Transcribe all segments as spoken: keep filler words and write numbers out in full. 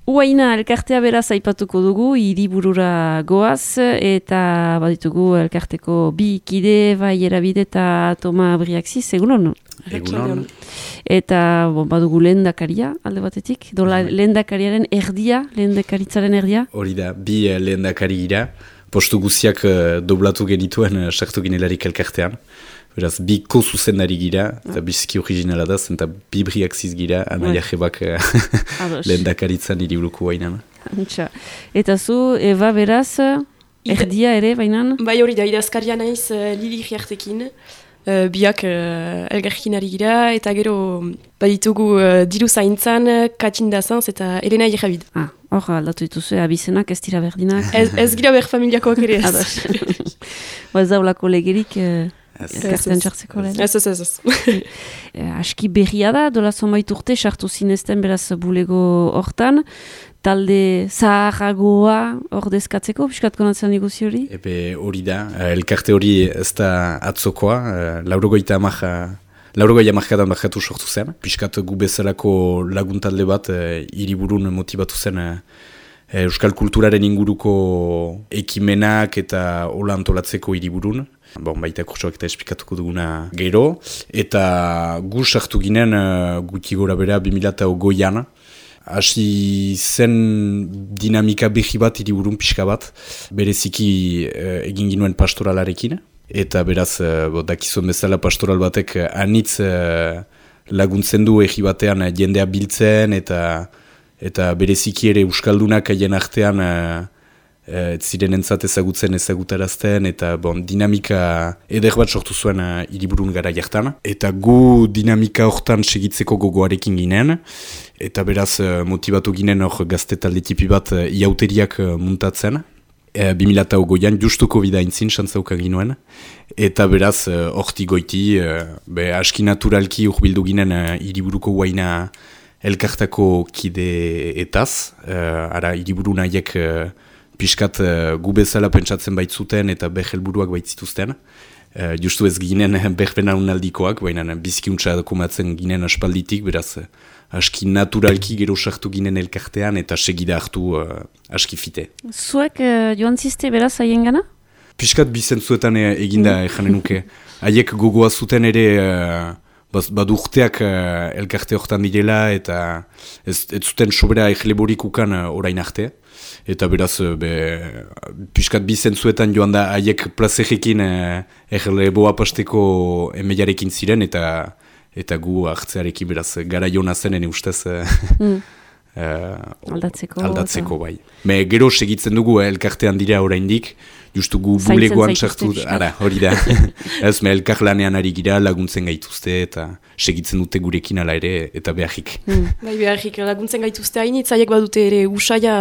Uaina elkartea beraz aipatuko dugu, hiriburura goaz, eta baditugu elkarteko bi kide, bai Erabide eta Toma Briaxiz, egunon? Egunon. Eta bon, badugu lehendakaria alde batetik, dola lehendakariaren erdia, lehendakaritzaren erdia? Hori da, bi lehendakari gira, postu guziak uh, doblatu genituen uh, sartu ginelarik elkartean. Beraz, bi ko-zuzendari gira, eta biziki originala da, eta bi Briaxiz gira, Anaia Jebak lehendakaritzan hiriburuko bainan. Eta zu, Eva beraz, erdia ere bainan? Bai hori da, idazkaria naiz uh, Lili Riartekin, uh, biak uh, elgarrekin ari gira, eta gero baditugu uh, diru zaintzan, Katin Dazanz eta Elena Irabid. Ah, hor aldatu dituzu, abizenak, ez dira berdinak? Ez, ez gira ber familiakoak ere ez. Ba ez daulako legerik... Uh... Elkartean txartzeko lehen. Ez, ez, ez, ez. Aski berria da, dola zonbait urte, sartu zinezten beraz bulego hortan, talde zaharragoa ordezkatzeko, piskat konatzen negozi hori? Ebe hori da, elkarte hori ez da atzokoa, laurogoita amaja, laurogoia amarkadan bakatu sortu zen, piskat gu bezalako lagun talde bat, hiriburun motibatu zen, euskal kulturaren inguruko ekimenak eta hola antolatzeko hiriburun. Bon, baita kurtsoak eta esplikatuko duguna gero. Eta gu sartu ginen uh, guti gora bera bi mila hogeian. Hasi zen dinamika behi bat hiriburun pixka bat. Bereziki uh, egin ginuen pastoralarekin. Eta beraz, uh, dakizuen bezala pastoral batek uh, anitz uh, laguntzen du egi batean uh, jendea biltzen eta eta bereziki ere euskaldunak haien artean uh, ez ziren entzat ezagutzen ezagutarazten eta bon, dinamika eder bat sortu zuen uh, hiriburun gara jartan. Eta gu dinamika hortan segitzeko gogoarekin ginen eta beraz uh, motibatu ginen hor gazte talde tipi bat uh, iauteriak uh, muntatzen. E, bi mila hogeian justuko bida intzin xantzauka ginuen. Eta beraz horti uh, goiti, uh, be, aski naturalki urbildu ginen uh, hiriburuko guaina elkartako kideetaz. Uh, ara hiriburu nahiek uh, piskat uh, gu bezala pentsatzen baitzuten eta behelburuak baitzituzten. Uh, justu ez ginen berbena unaldikoak, baina bizikiuntza komatzen ginen aspalditik, beraz uh, aski naturalki gero sartu ginen elkartean eta segida hartu uh, aski fite. Zuek uh, joan ziste beraz haien gana? Piskat bizentzuetan uh, eginda mm. ejanen nuke. Haiek gogoa zuten ere... Uh, Badu urteak uh, elkarte hortan direla eta ez, ez zuten sobera egleborik ukan uh, orain arte. Eta beraz, be, piskat bizentzuetan joan da haiek plazerekin uh, egleboa pasteko emeiarekin ziren eta eta gu hartzearekin beraz gara jona zenen ustez uh, mm. uh, aldatzeko, aldatzeko bai. Me gero segitzen dugu uh, elkartean dira oraindik. Justu gu bulegoan sartu, ara, hori da. Ez, me elkar lanean ari gira laguntzen gaituzte eta segitzen dute gurekin ala ere eta beharrik. Mm. Bai, beharrik laguntzen gaituzte hain, itzaiek badute ere usaia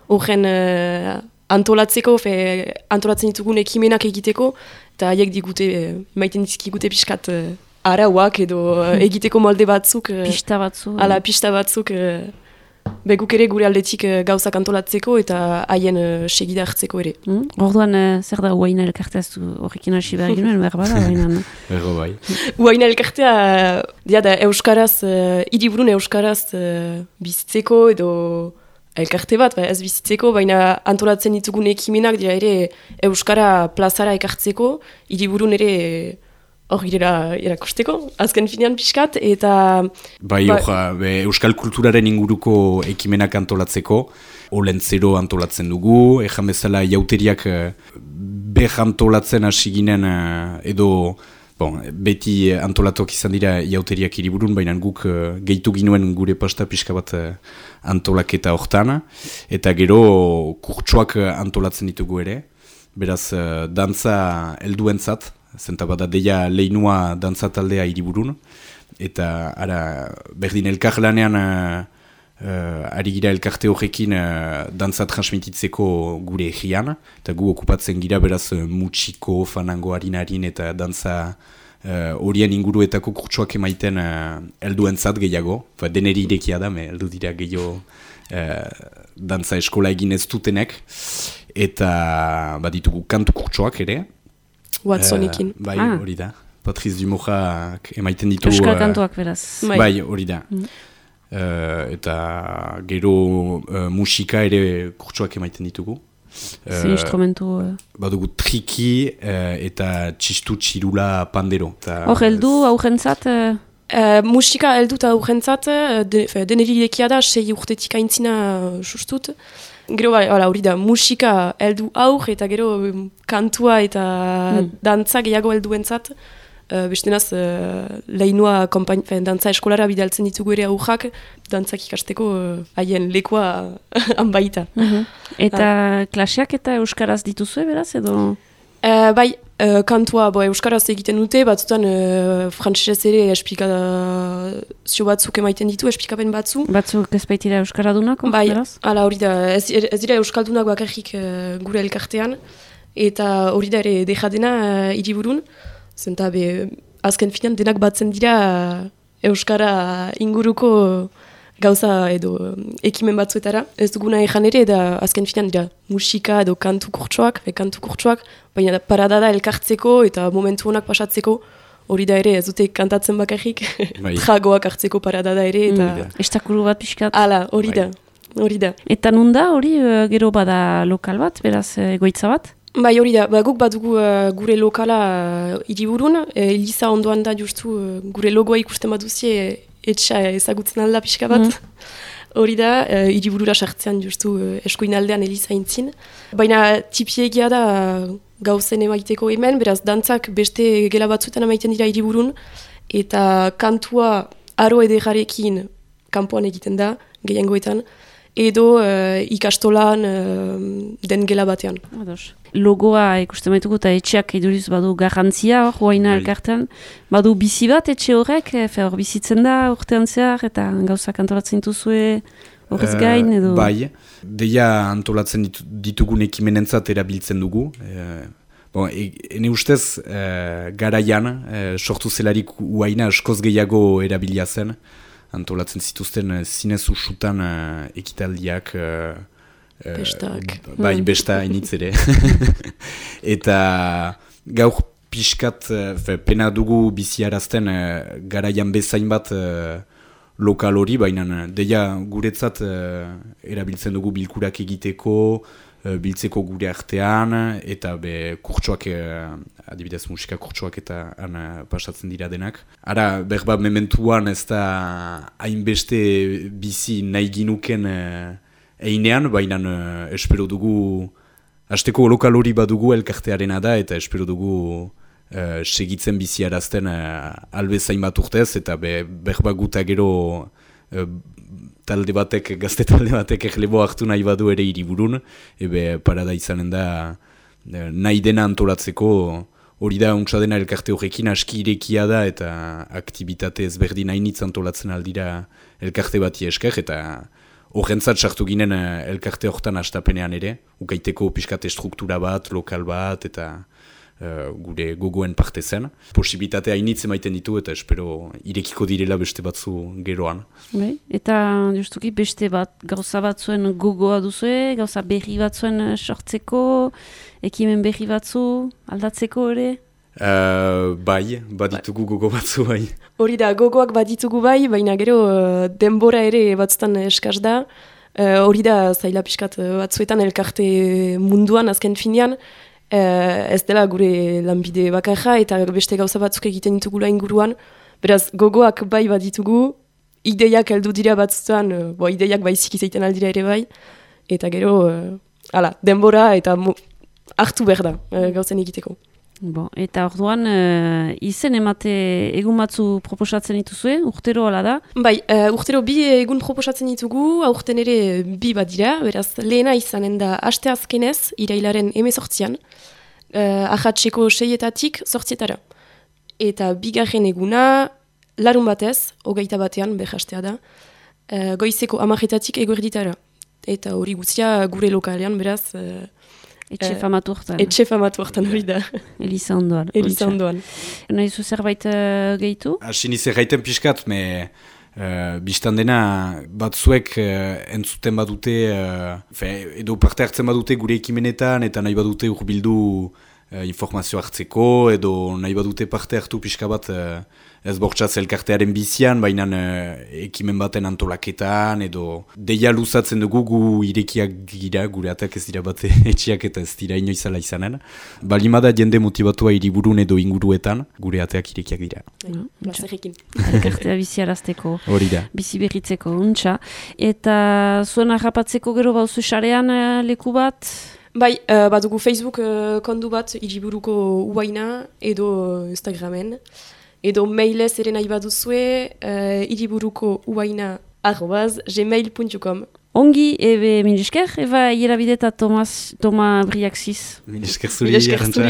horren uh, antolatzeko, fe, antolatzen ditugun ekimenak egiteko, eta haiek digute, uh, maiten dizkigute pixkat uh, arauak edo uh, egiteko molde batzuk. Uh, pista batzuk. Ala, pista batzuk. Uh, Beguk ere gure aldetik uh, gauzak antolatzeko eta haien uh, segida hartzeko ere. Mm? Orduan, uh, zer da Uaina elkartea horrekin hasi behar ginoen, behar bada, baina. Erro bai. Uaina elkartea, dia da, euskaraz, uh, hiriburun euskaraz uh, bizitzeko edo elkarte bat, ba, ez bizitzeko, baina antolatzen ditugun ekimenak dira ere euskara plazara ekartzeko, hiriburun ere... Hor girela erakusteko, azken finean pixkat, eta... Bai, ba, oja, euskal kulturaren inguruko ekimenak antolatzeko, olentzero antolatzen dugu, ejan bezala jauteriak beh antolatzen hasi ginen edo... Bon, beti antolatuak izan dira jauteriak hiriburun, baina guk uh, gehitu ginuen gure pasta pixka bat uh, antolaketa hortan, eta gero kurtsoak antolatzen ditugu ere, beraz uh, dantza helduentzat, zenta bada deia leinua dantza taldea hiriburun, eta ara, berdin elkar lanean uh, uh, ari gira elkarte horrekin uh, dantza transmititzeko gure egian, eta gu okupatzen gira beraz uh, mutxiko, fanango harinarin eta dantza horien uh, inguruetako kurtsuak emaiten uh, elduentzat gehiago, ba, deneri irekia da, me eldu dira gehiago uh, dantza eskola egin ez dutenek, eta baditugu kantu kurtsuak ere, Watsonekin. Uh, bai, hori ah. da. Patrice Dumoja emaiten ditu... Euskal kantuak beraz. Bai, hori da. Mm. uh, eta gero uh, musika ere kurtsuak emaiten ditugu. Zer instrumentu... Uh... Badugu triki uh, eta txistu txirula pandero. Hor, heldu aurrentzat... Uh... Uh, musika heldu eta aurrentzat, de, deneri irekia da, sei urtetik aintzina uh, sustut. Gero, hori da, musika heldu aur eta gero um, kantua eta mm. dantza gehiago helduentzat. Uh, Bestenaz, uh, lehinoa dantza eskolara bidaltzen ditugu ere aurrak, dantzak ikasteko haien uh, lekoa hanbaita. Mm-hmm. Eta uh. klaseak eta euskaraz dituzue, beraz, edo? Uh, bai, uh, kantua bo, euskaraz egiten dute, batzutan uh, frantsesez ere esplikazio batzuk emaiten ditu, esplikapen batzu. Batzuk ez baitira euskaradunako, bai, beraz? Hala, hori da, ez, ez dira euskaldunak bakarrik uh, gure elkartean, eta hori da ere dejadena uh, hiriburun. Zenta be, azken finan denak batzen dira euskara inguruko gauza edo ekimen batzuetara. Ez duguna ezan ere, da azken finan dira musika edo kantu kurtsoak, e, kantu kurtsoak, baina parada da elkartzeko eta momentu honak pasatzeko, hori da ere, ez dute kantatzen bakarrik, tragoak hartzeko parada da ere. Eta... Mm, estakuru bat pixkat. Hala, hori da, hori da. Eta nun da, hori gero bada lokal bat, beraz egoitza bat? Bai, hori da, ba, guk badugu uh, gure lokala uh, hiriburun, e, Eliza ondoan da justu uh, gure logoa ikusten baduzie etxa ezagutzen alda pixka bat. Hori mm. da, uh, hiriburura sartzean justu uh, eskuin aldean Eliza intzin. Baina tipiegia da uh, gauzen emaiteko hemen, beraz dantzak beste gela batzuetan emaiten dira hiriburun, eta kantua aro ederrarekin kanpoan egiten da, gehiengoetan, edo uh, ikastolan uh, den gela batean. Ados. Logoa ikusten baituko eta etxeak iduriz badu garrantzia hor, huaina elkartean. Badu bizi bat etxe horrek, fe hor bizitzen da urtean zehar, eta gauzak antolatzen dituzue horrez gain, edo... Uh, bai, deia antolatzen ditu, ditugun ekimenentzat erabiltzen dugu. Uh, bon, e, ene ustez, uh, garaian, uh, sortu zelarik huaina askoz gehiago erabilia zen, antolatzen zituzten uh, zinez usutan uh, ekitaldiak... Uh, Bestak. Uh, bai, besta initz ere. Eta gaur pixkat, fe, pena dugu biziarazten uh, garaian bezain bat uh, lokal hori, baina deia guretzat uh, erabiltzen dugu bilkurak egiteko, uh, biltzeko gure artean, eta be kurtsoak, uh, adibidez musika kurtsoak eta han uh, pasatzen dira denak. Ara, berba mementuan ez da hainbeste bizi nahi ginuken uh, einean, baina uh, espero dugu, hasteko lokal hori badugu elkartearena da, eta espero dugu uh, segitzen biziarazten uh, albezain bat urtez, eta be, berba guta gero uh, talde batek, gazte talde batek erlebo hartu nahi badu ere hiriburun, ebe parada izanen da uh, nahi dena antolatzeko, hori da untsa dena elkarte horrekin aski irekia da, eta aktibitate ezberdin hainitz antolatzen aldira elkarte bati esker, eta horrentzat sartu ginen uh, elkarte horretan astapenean ere, ukaiteko pixkate struktura bat, lokal bat, eta uh, gure gogoen parte zen. Posibilitatea hainitz emaiten ditu, eta espero irekiko direla beste batzu geroan. Bai, eta justuki beste bat, gauza batzuen gogoa duzue, gauza berri batzuen sortzeko, ekimen berri batzu aldatzeko ere? Uh, bai, baditugu gogo batzu bai. Hori da, gogoak baditugu bai, baina gero uh, denbora ere batzutan eskaz da. Uh, hori da, zaila pixkat batzuetan elkarte munduan azken finean, uh, ez dela gure lanbide bakarra eta beste gauza batzuk egiten ditugula inguruan. Beraz, gogoak bai baditugu, ideiak heldu dira batzuetan, uh, bo, ideiak baizik izaiten aldira ere bai, eta gero, uh, ala, denbora eta mo- hartu behar da uh, gauzen egiteko. Bo, eta orduan, uh, izen emate egun batzu proposatzen dituzue, urtero hala da? Bai, uh, urtero bi egun proposatzen ditugu, aurten ere bi badira, beraz lehena izanen da aste azkenez, irailaren emezortzian, uh, ahatseko seietatik zortzietara. Eta bigarren eguna, larun batez, hogeita batean, behastea da, uh, goizeko amarretatik eguerditara. Eta hori guztia gure lokalean, beraz... Uh, Etxe famatu hortan. Etxe famatu hortan hori da. Eliza ondoan. Eliza ondoan. Nahi zu zerbait uh, gehitu? Asin izi gaiten pixkat, me uh, biztan dena batzuek uh, entzuten badute, uh, fe, edo parte hartzen badute gure ekimenetan, eta nahi badute urbildu uh, informazio hartzeko, edo nahi badute parte hartu pixka bat uh, ez bortxatz elkartearen bizian, baina uh, ekimen baten antolaketan, edo deia luzatzen dugu gu irekiak gira, gure atak ez dira bate etxiak eta ez dira inoizala izanen. Balimada jende motibatua hiriburun edo inguruetan, gure ateak irekiak dira. Plazerrekin. Elkartea biziarazteko, Hori da. bizi berritzeko, untxa. Eta zuen harrapatzeko gero bauzu sarean uh, leku bat? Bai, uh, badugu Facebook uh, kondu bat hiriburuko uaina edo Instagramen. Edo mailez ere nahi baduzue uh, hiriburuko uaina arrobaz gmail puntu com. Ongi, ebe milisker, eba hierabide eta Tomas, Toma Briaxis. Milisker zuri, Arantxa.